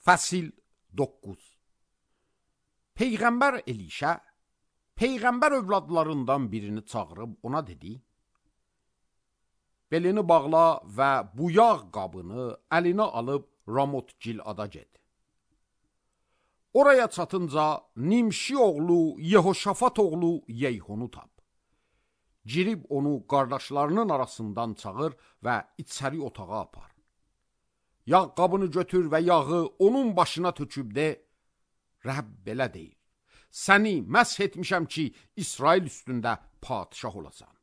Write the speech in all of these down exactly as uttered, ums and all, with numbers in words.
Fəsil doqquz. Peyğəmbər Elişə Peyğəmbər övladlarından birini çağırıb ona dedi: belini bağla və bu yağ qabını əlinə alıb Ramot Gilada get. Oraya çatınca Nimşi oğlu Yehoşafat oğlu Yeyhunu tap. Girib onu qardaşlarının arasından çağır və içəri otağa apar. Yağ qabını götür və yağı onun başına töküb de: Rəbb belə deyir: səni məsh etmişəm ki, İsrail üstündə padişah olasan.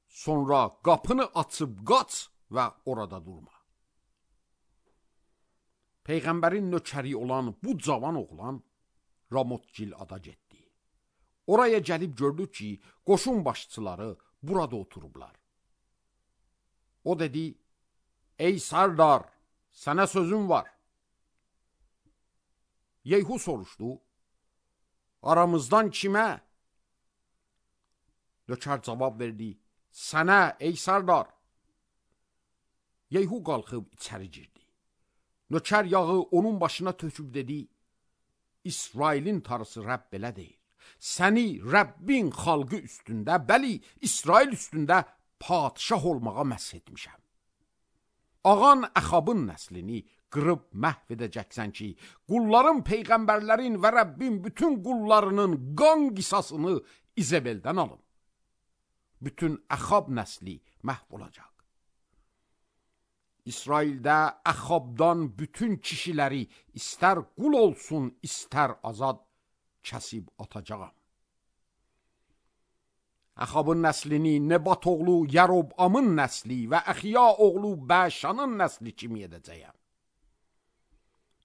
Sonra qapını açıb qaç və orada durma. Peyğəmbərin nökəri olan bu cavan oğlan Ramot Gilada getdi. Oraya gəlib gördü ki, qoşun başçıları burada oturublar. O dedi: ey Sardar, sənə sözüm var. Yeyhu soruşdu: aramızdan kimə? Nökər cavab verdi: sənə ey Sardar. Yeyhu qalxıb içəri girdi. Nökər yağı onun başına töküb dedi: İsrailin tarısı Rəbb belə deyir: səni Rəbbin xalqı üstündə, bəli, İsrail üstündə padişah olmağa məsh etmişəm. Ağan Əxabın nəslini qırıb məhv edəcəksən ki, qulların, peyğəmbərlərin və Rəbbin bütün qullarının qan qisasını İzebeldən alın. Bütün Əxab nəsli məhv olacaq. İsraildə Əxabdan bütün kişiləri istər qul olsun, istər azad, kəsib atacağam. Əxabın nəslini Nebat oğlu Yərobamın nəsli və Əxiya oğlu Bəşanın nəsli kimi edəcəyəm.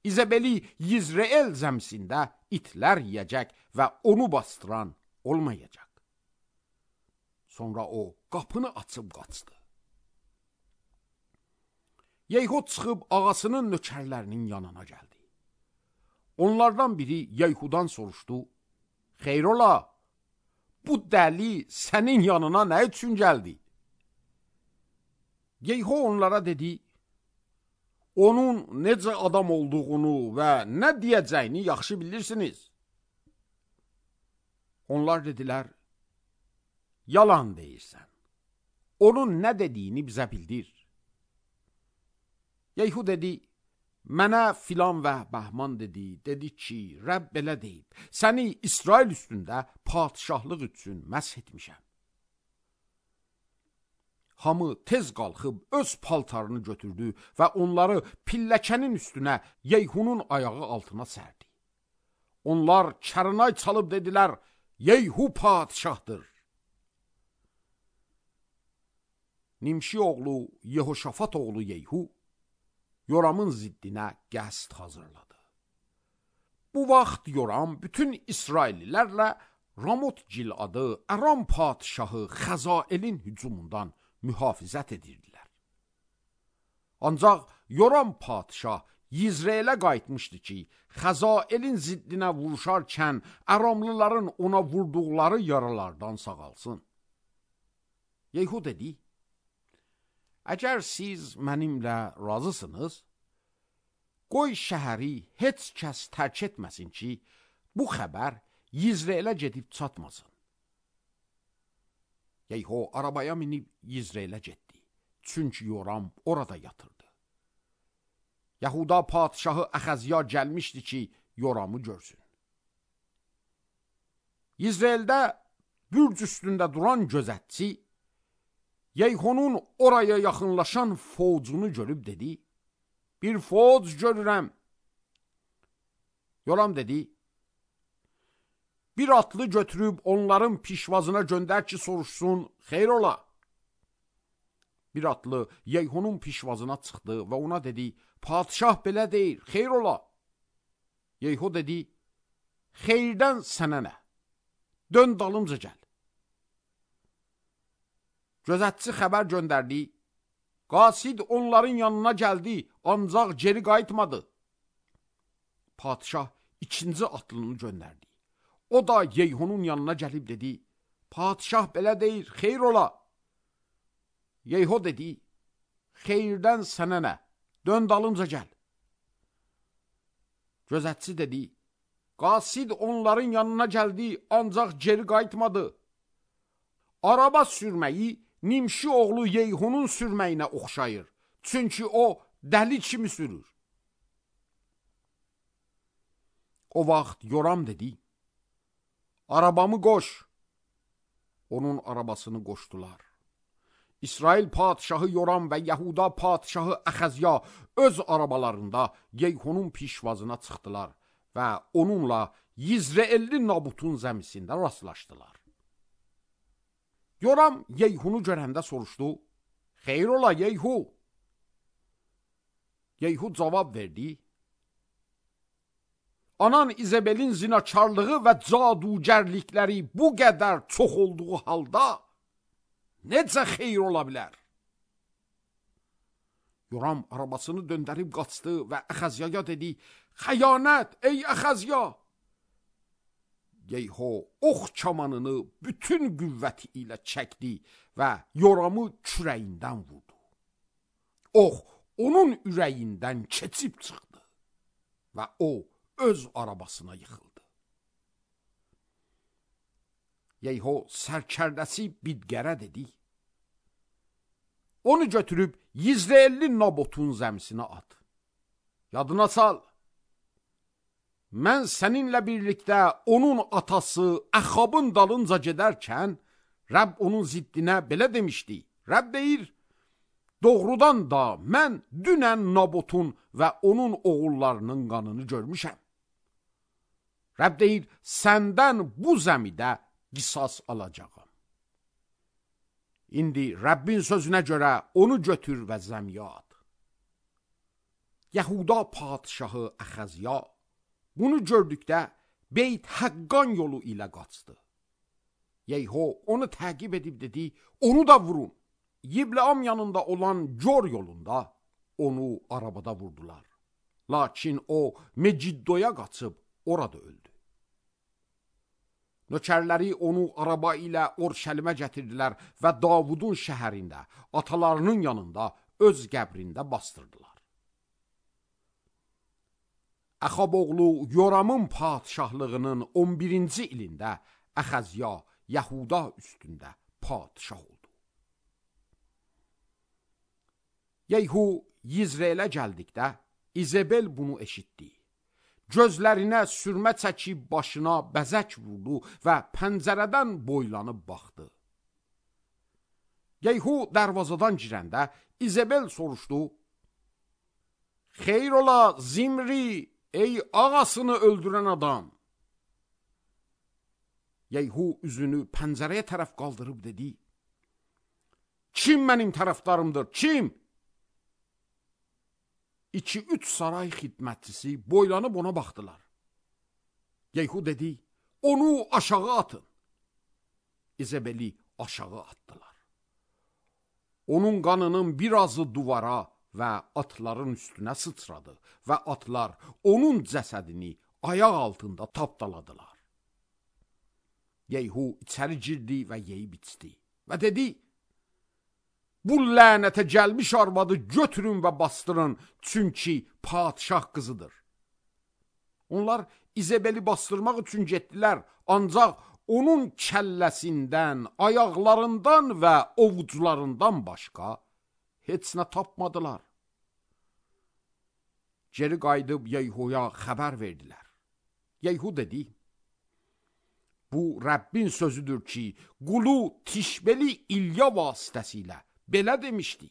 İzebeli Yizreel zəmsində itlər yiyəcək və onu bastıran olmayacaq. Sonra o qapını açıb qaçdı. Yeyhu çıxıb ağasının nökərlərinin yanına gəldi. Onlardan biri Yeyhudan soruşdu: xeyrola, bu dəli sənin yanına nə üçün gəldi? Yeyhu onlara dedi: onun necə adam olduğunu və nə deyəcəyini yaxşı bilirsiniz. Onlar dedilər: yalan deyirsən. Onun nə dediyini bizə bildir. Yeyhu dedi: mənə filan və bəhman dedi, dedi ki, Rəbb belə deyib: səni İsrail üstündə padişahlıq üçün məsh etmişəm. Hamı tez qalxıb öz paltarını götürdü və onları pilləkənin üstünə Yeyhunun ayağı altına sərdi. Onlar çarınay çalıb dedilər: Yeyhu padişahdır. Nimşi oğlu Yehoşafat oğlu Yeyhu Yoramın ziddinə qəsd hazırladı. Bu vaxt Yoram bütün İsraillilərlə Ramot Giladı Aram padişahı Xəzaelin hücumundan mühafizət edirdilər. Ancaq Yoram padişah Yizreelə qayıtmışdı ki, Xəzaelin ziddinə vuruşarkən Aramlıların ona vurduqları yaralardan sağalsın. Yeyhu dedi: əgər siz mənimlə razısınız, qoy şəhəri heç kəs tərk etməsin ki, bu xəbər Yizreelə gedib çatmasın. Yeyhu arabaya minib Yizreelə getdi. Çünki Yoram orada yatırdı. Yahuda padişahı Əxəziya gəlmişdi ki, Yoramı görsün. Yizreeldə bürc üstündə duran gözətçi Yeyhunun oraya yaxınlaşan fovcunu görüb dedi: bir fovc görürəm. Yoram dedi: bir atlı götürüb onların pişvazına göndər ki, soruşsun, xeyrola. Bir atlı Yeyhunun pişvazına çıxdı və ona dedi: padişah belə deyir, xeyrola. Yeyhu dedi: xeyirdən sənə nə? Dön dalımca gəl. Gözətçi xəbər göndərdi: qasid onların yanına gəldi, ancaq geri qayıtmadı. Padişah ikinci atlını göndərdi. O da Yeyhunun yanına gəlib dedi: padişah belə deyir, xeyrola. Yeyhu dedi: xeyirdən sənə nə? Dön dalımca gəl. Gözətçi dedi, qasid onların yanına gəldi, ancaq geri qayıtmadı. Araba sürməyi Nimşi oğlu Yeyhunun sürməyinə oxşayır. Çünki o dəli kimi sürür. O vaxt Yoram dedi, arabamı qoş. Onun arabasını qoşdular. İsrail padişahı Yoram və Yahuda padişahı Əxəzya öz arabalarında Yeyhunun pişvazına çıxdılar və onunla Yizreelli Nabutun zəmisində rastlaşdılar. Yoram Yeyhunu görəndə soruşdu, xeyr ola Yeyhu. Yeyhu cavab verdi, anan İzebelin zinakarlığı və cadugərlikləri bu qədər çox olduğu halda necə xeyr ola bilər? Yoram arabasını döndərib qaçdı və Əxəzyaya dedi, xəyanət ey Əxəzya! Yeyhu ox kamanını bütün qüvvəti ilə çəkdi və Yoramı kürəyindən vurdu. Ox onun ürəyindən keçib çıxdı və o öz arabasına yıxıldı. Yeyhu sərkərdəsi Bidgərə dedi, onu götürüb Yizreelli Nabotun zəmisinə at. Yadına sal, mən səninlə birlikdə onun atası Əxabın dalınca gedərkən, Rəbb onun ziddinə belə demişdi. Rəbb deyir, doğrudan da mən dünən Nabotun və onun oğullarının qanını görmüşəm. Rəbb deyir, səndən bu zəmidə qisas alacağım. İndi Rəbbin sözünə görə onu götür və zəmiyə at. Yahuda padişahı Əxəzya bunu gördükdə Beyt Həqqan yolu ilə qaçdı. Yeyhu onu təqib edib dedi, onu da vurun. Yibleam yanında olan Gör yolunda onu arabada vurdular. Lakin o Meciddoya qaçıb orada öldü. Nökərləri onu araba ilə Orşəlimə gətirdilər və Davudun şəhərində, atalarının yanında, öz qəbrində bastırdılar. Əxab oğlu Yoramın padişahlığının on birinci ilində Əxəzya Yahuda üstündə padişah oldu. Yeyhu Yizreelə gəldikdə İzebel bunu eşitdi. Gözlərinə sürmə çəkib başına bəzək vurdu və pəncərədən boylanıb baxdı. Yeyhu dərvazadan girəndə İzebel soruşdu, xeyr ola Zimri, ey ağasını öldürən adam. Yeyhu üzünü pəncərəyə tərəf qaldırıb dedi, kim mənim tərəfdarımdır, kim? İki-üç saray xidmətçisi boylanıb ona baxdılar. Yeyhu dedi, onu aşağı atın. İzebeli aşağı atdılar. Onun qanının birazı duvara və atların üstünə sıçradı və atlar onun cəsədini ayaq altında tapdaladılar. Yeyhu içəri girdi və yeyib içdi və dedi, bu lənətə gəlmiş arvadı götürün və bastırın, çünki padişah qızıdır. Onlar İzebeli bastırmaq üçün getdilər, ancaq onun kəlləsindən, ayaqlarından və ovucularından başqa heç nə tapmadılar. Geri qayıdıb Yeyhuya xəbər verdilər. Yeyhu dedi, bu Rəbbin sözüdür ki, qulu Tişbeli İlya vasitəsilə belə demişdi,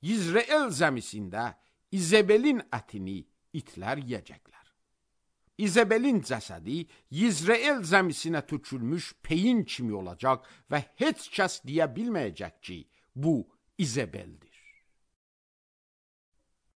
Yizreel zəmisində İzebelin ətini itlər yiyəcəklər. İzebelin cəsədi Yizreel zəmisinə tökülmüş peyin kimi olacaq və heç kəs deyə bilməyəcək ki, bu İzebeldir.